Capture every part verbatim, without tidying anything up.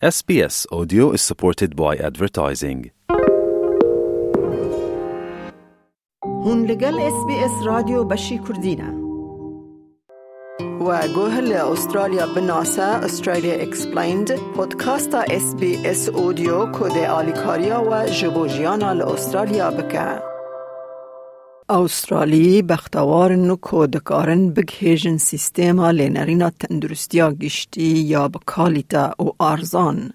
S B S Audio is supported by advertising. Hûn li gel S B S Radyo beşî Kurdî ne. We guh li Australya binase, Australia Explained, podcasta S B S Audio ku dê alîkariya we ji bo jiyana li Australya bike. Australî bextewar in ku dikarin bigihêjin sîstema lênerîna tenduristiya giştî ya bi kalîte û arzan.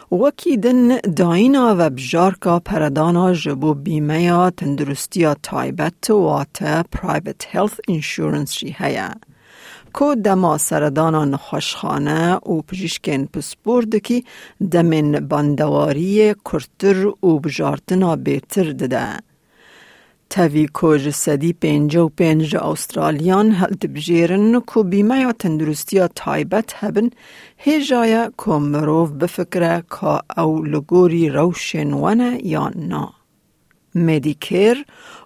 Wekî din dayîna vebijarka peredana ji bo bîmeya tenduristiya taybet, wate private health insurance jî heye, ku dema seredana nexweşxane û pijîşkên pispor dikî, demên bandewariyê kurtir û bijartina bêtir dide. Tevî ku ji sedî pêncî û pênc ji Australiyan hildibijêrin ku bîmeya tenduristiya taybet hebin, hêja ye ku mirov bifikire ka ew li gorî rewşên we ne yan na. Medicare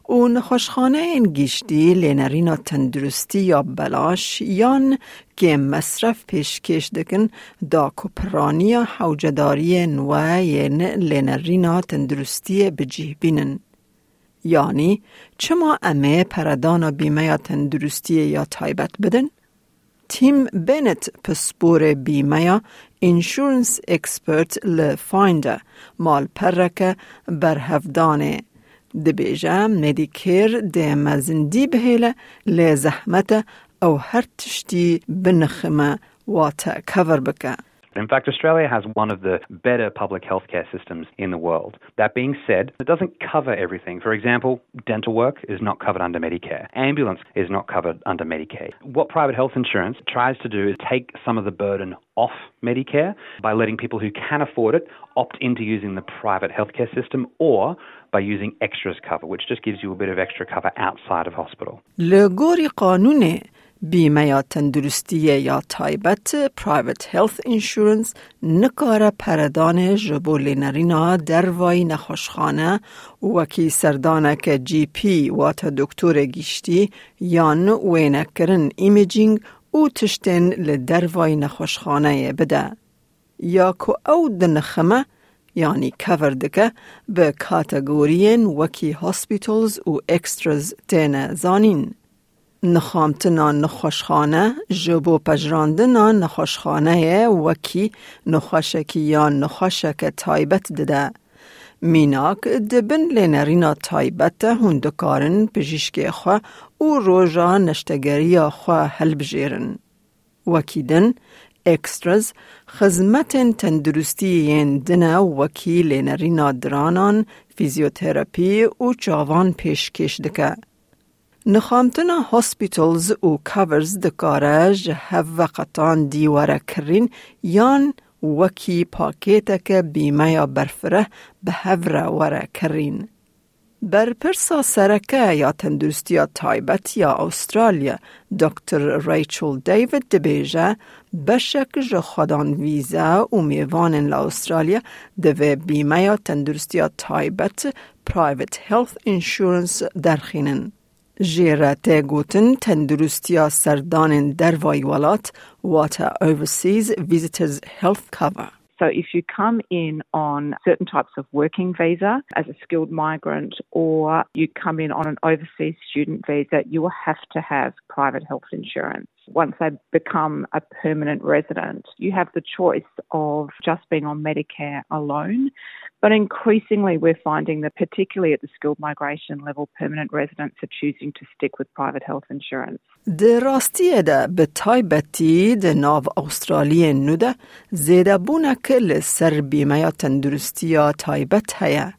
û nexweşxaneyên giştî lênerîna tenduristî ya belaş yan kêm mesref pêşkêş dikin, da ku piraniya hewcedariyên we yên lênerîna tenduristiyê bi cih bînin. Yanî, çima em ê peredana bîmeya tenduristiyê ya taybet bidin? Tim Bennett, pisporê bîmeya Insurance Expert li Finder, malpereke berhevdanê, dibêje, Medicare dê mezindî bihêle, lê zehmet e ew her tiştî binixime, wate cover bike. In fact, Australia has one of the better public healthcare systems in the world. That being said, it doesn't cover everything. For example, dental work is not covered under Medicare. Ambulance is not covered under Medicare. What private health insurance tries to do is take some of the burden off Medicare by letting people who can afford it opt into using the private healthcare system or by using extras cover, which just gives you a bit of extra cover outside of hospital. Li gorî qanûnê, bîmeya tenduristiyê ya taybet, private health insurance, nikare peredanê ji bo lênerîna dervayî nexweşxane, wekî serdaneke G P, wate doktorê giştî, yan wênekirin, imaging, û tiştên li dervayî nexweşxaneyê bide. Ya ku ew dinixime, yanî cover dike, bi kategoriyên wekî hospitals û extras têne zanîn. Nixamtina nexweşxane ji bo pejirandina nexweşxaneyê wekî nexweşekî yan nexweşeke taybet dide. Mînak, di bin lênerîna taybet de hûn dikarin pijîşkê xwe û roja neştegeriya xwe hilbijêrin. Wekî din, extras, xizmetên tenduristî yên din e, wekî lênerîna diranan, fîzyoterapî û çavan pêşkêş dike. Nixamtina hospitals û covers dikare ji hev veqetan dî were kirîn yan wekî pakêteke bîmeya berfireh bi hev re were kirîn. Berpirsa sereke ya tenduristiya taybet ya Australya, doktor Rachel David dibêje, beşek ji xwedan vîze û mêvanên li Australya divê bîmeya tenduristiya taybet, private health insurance, derxînin. Jê re tê gotin tenduristiya serdanên dervayî welat, wate overseas visitors health cover. So if you come in on certain types of working visa as a skilled migrant, or you come in on an overseas student visa, you will have to have private health insurance. Once they become a permanent resident, you have the choice of just being on Medicare alone. But increasingly, we're finding that, particularly at the skilled migration level, permanent residents are choosing to stick with private health insurance. Di rastiyê de, bi taybetî di nav Australiyên nû de, zêdebûnek li ser bîmeya tenduristiya taybet heye.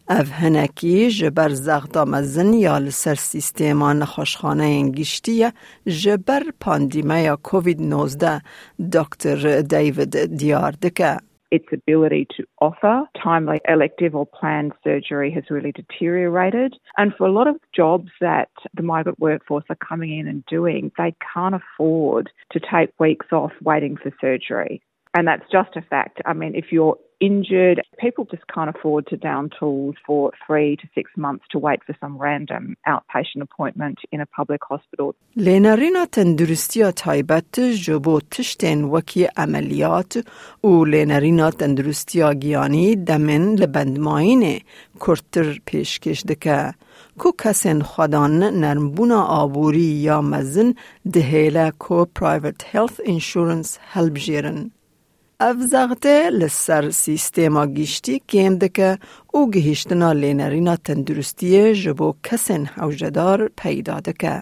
Ev hinekî ji ber zexta mezin ya li ser sîstema nexweşxaneyên giştî ye, ji ber pandîmeya covid nozdeh, doktor David diyar dike. Its ability to offer timely elective or planned surgery has really deteriorated. And for a lot of jobs that the migrant workforce are coming in and doing, they can't afford to take weeks off waiting for surgery. And that's just a fact. I mean, if you're injured. People just can't afford to down tools for three to six months to wait for some random outpatient appointment in a public hospital. Lênerîna tenduristiya taybet ji bo tiştên wekî emeliyat û lênerîna tenduristiya giyanî demên li bendmayînê kurtir pêşkêş dike, ku kesên xwedan nermbûna aborî ya mezin dihêle ku private health insurance hilbijêrin. Ev zexte li ser sîstema giştî kêm dike û gihîştina lênerîna tenduristiyê ji bo kesên hewcedar peyda dike.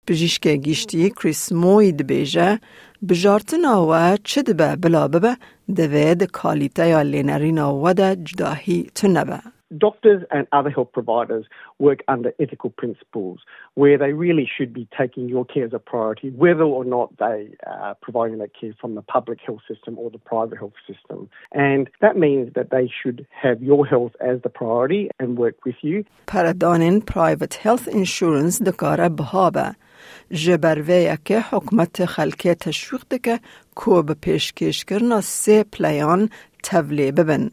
Pijîşkê giştî Chris Moy dibêje, bijartina we çi dibe bila bibe, divê di kalîteya lênerîna we de cudahî tune be. Doctors and other health providers work under ethical principles where they really should be taking your care as a priority, whether or not they are providing that care from the public health system or the private health system. And that means that they should have your health as the priority and work with you. Peredanên private health insurance dikare biha be. Ji ber vê yekê hikûmet xelkê teşwîq dike ku bi pêşkêşkirina sê plan tevlê bibin.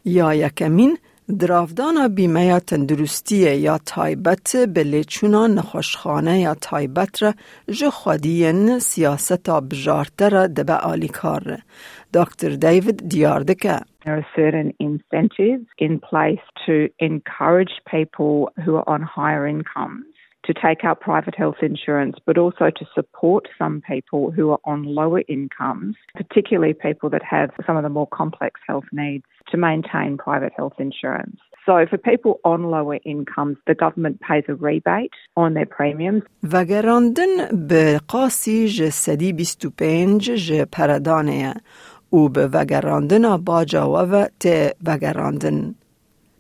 Ya yekemîn, diravdana bîmeya tenduristiyê ya taybet bi lêçûna nexweşxaneya taybet re ji xwediyên siyaseta bijarte re dibe alîkar. Doktor David diyar dike. There are certain incentives in place to encourage people who are on higher incomes to take out private health insurance, but also to support some people who are on lower incomes, particularly people that have some of the more complex health needs, to maintain private health insurance. So for people on lower incomes, the government pays a rebate on their premiums. Vegerandin bi qasî ji sedî bîst û pênc ji peredanê ye û bi vegerandina baca we ve tê vegerandin.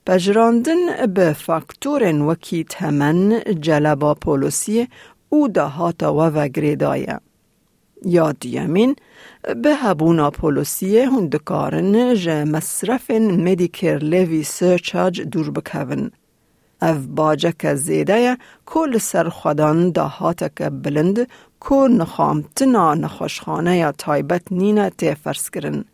Pejirandin bi faktorên wekî temen, celeba polisiyê û dahata we ve girêdaye. Ya duyemîn, bi hebûna polisiyê hûn dikarin ji mesrefên Medicare Levy Surcharge dûr bikevin. Ev baceke zêde ye ku li ser xwedan dahateke bilind ku nixamtina nexweşxaneya taybet nîne tê ferzkirin.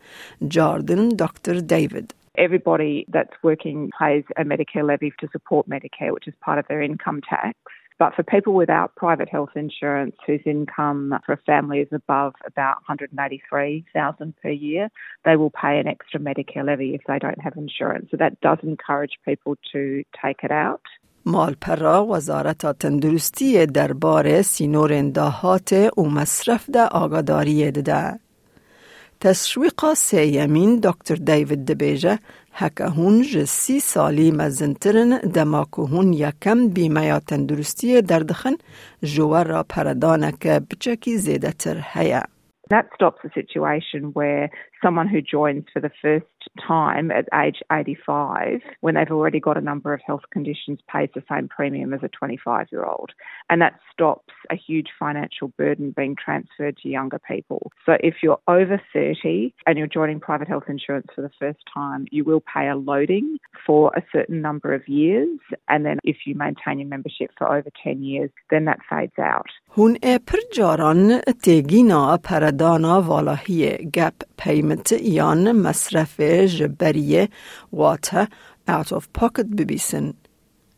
Cardin Doktor David. Everybody that's working pays a Medicare levy to support Medicare, which is part of their income tax. But for people without private health insurance whose income for a family is above about one hundred and eighty-three thousand per year, they will pay an extra Medicare levy if they don't have insurance. So that does encourage people to take it out. Malpera Wezareta Tenduristiyê derbarê sînorên dahatê û mesref de agadariyê dide. Teşwîqa sêyemîn Doktor David dibêje, heke hûn ji sî salî mezintir in, dema ku hûn yekem bîmeya tenduristiyê derdixin, ji we re peredaneke biçekî zêdetir heye. That stops a situation where someone who joins for the first time at age eighty-five, when they've already got a number of health conditions, pays the same premium as a twenty-five-year-old. And that stops a huge financial burden being transferred to younger people. So if you're over thirty and you're joining private health insurance for the first time, you will pay a loading for a certain number of years. And then if you maintain your membership for over ten years, then that fades out. Hûn ê pir caran têgîna peredana valahiyê, gap payment, yan mesrefê ji beriyê, wate out of pocket, bibîsin.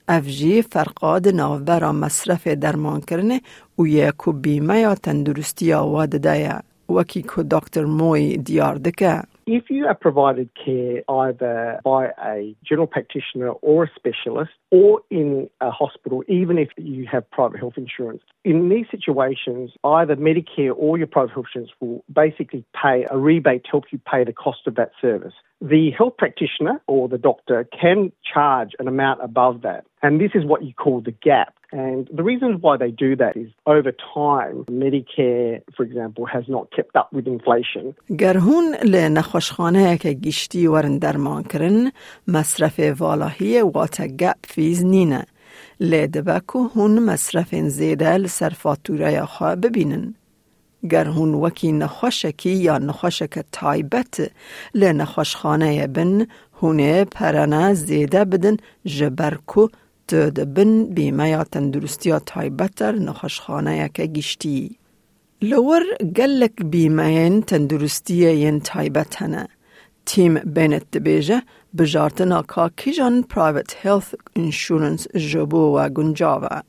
Ev jî ferqa di navbera mesrefê dermankirinê û yê ku bîmeya tenduristiya we dide ye, wekî ku Doktor Moy diyar dike. If you are provided care either by a general practitioner or a specialist or in a hospital, even if you have private health insurance, in these situations, either Medicare or your private health insurance will basically pay a rebate to help you pay the cost of that service. The health practitioner or the doctor can charge an amount above that. And this is what you call the gap. And the reasons why they do that is over time, Medicare, for example, has not kept up with inflation. Ger hûn li nexweşxaneyeke giştî werin dermankirin, mesrefê valahiyê, wate gap fees, nîne. Lê dibe ku hûn mesrefên zêde li ser fatûreya xwe bibînin. Ger hûn wekî nexweşekî ya nexweşeke taybet li nexweşxaneyê bin, hûn ê perene zêde bidin, ji ber ku tu di bin bîmeya tenduristiya taybet de li nexweşxaneyeke giştî yî. Li wir gelek bîmeyên tenduristiyê yên taybet hene. Tim Bennett dibêje, bijartina ka kîjan private health insurance ji bo we guncav e.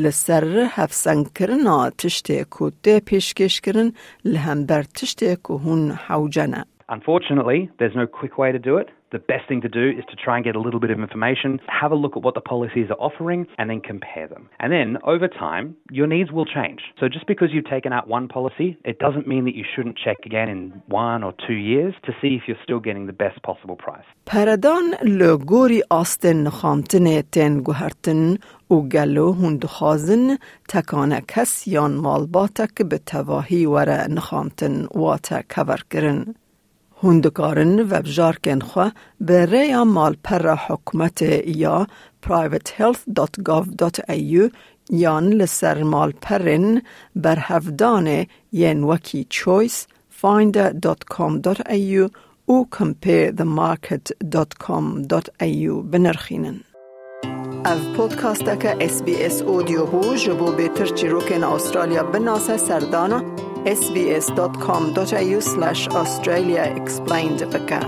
Li ser hevsengkirina tiştê ku tê pêşkêşkirin li hember tiştê ku hûn hewce ne. Unfortunately, there's no quick way to do it. The best thing to do is to try and get a little bit of information, have a look at what the policies are offering, and then compare them. And then, over time, your needs will change. So just because you've taken out one policy, it doesn't mean that you shouldn't check again in one or two years to see if you're still getting the best possible price. Peredan li gorî astên nixantinê tên guhertin û gelo hûn dixwazin tekane kes yan malbatek bi tevahî were nixantin wate keverkirin. Hûn dikarin vebjarkên xwe bi rêya malpera hikûmetê ya private health dot gov dot a u yan li ser malperên berhevdanê yên wekî Choice, Finder dot com dot a u û compare the market dot com dot a u binirxînin. Ev podcasteke S B S Audio bû. Ji bo bêtir çîrokên Australya binase, serdana S B S dot com dot A U slash Australia explained bike.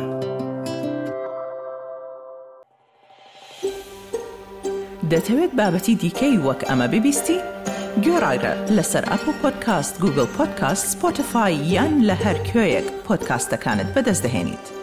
دەتەوێت بابەتی دیکەی وەک ئەمە ببیستی؟ گوێڕایرە لەسەر ئەپڵ پۆدکاست، گوگڵ پۆدکاست، سپۆتیفای یان لە هەر کوێیەک پۆدکاستەکانت بەدەست دەهێنیت.